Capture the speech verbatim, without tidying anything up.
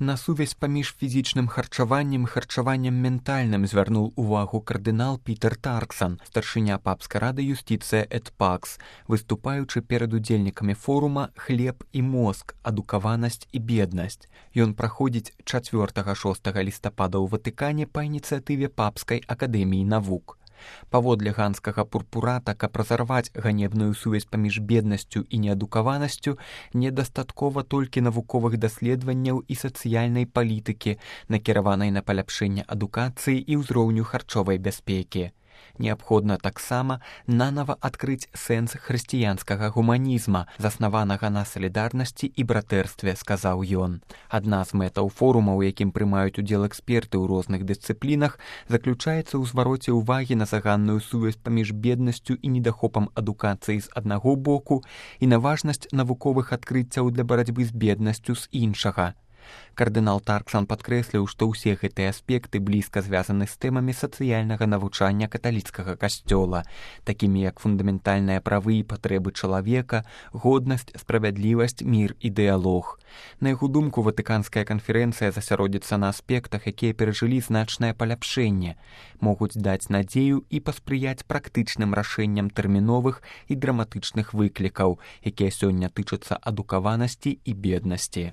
На сувязь паміж фізічным харчаваннем і харчаваннем ментальным звярнуў увагу кардынал Пітер Тарксан, старшыня папскай рады юстыцыя эт пакс, выступаючы перад удзельнікамі форума «Хлеб і мозг. Адукаванасць і беднасць». Ён праходзіць чацвёртага-шостага лістапада ў Ватыкане па ініцыятыве Папскай акадэміі навук. Паводле ганскага пурпурата, каб разарваць ганебную сувязь паміж беднасцю і неадукаванасцю, недастаткова толькі навуковых даследаванняў і сацыяльнай палітыкі, накіраванай на паляпшэнне адукацыі і ўзроўню харчовай бяспекі. Неабходна таксама нанава адкрыць сэнс хрысціянскага гуманізма, заснаванага на салідарнасці і братэрстве, сказаў ён. Адна з мэтаў форума, у якім прымаюць удзел эксперты ў розных дысцыплінах, заключаецца ў звароце ўвагі на заганную сувязь паміж беднасцю і недахопам адукацыі з аднаго боку і на важнасць навуковых адкрыццяў для барацьбы з беднасцю з іншага. Кардынал Тарксан падкрэсліў, што ўсе гэтыя аспекты блізка звязаны з тэмамі сацыяльнага навучання каталіцкага касцёла, такімі як фундаментальныя правы і патрэбы чалавека, годнасць, справядлівасць, мір і дыялог. На яго думку, Ватыканская канферэнцыя засяродзіцца на аспектах, якія перажылі значнае паляпшэнне, могуць даць надзею і паспрыяць практычным рашэнням тэрміновых і драматычных выклікаў, якія сёння тычацца адукаванасці і беднасці.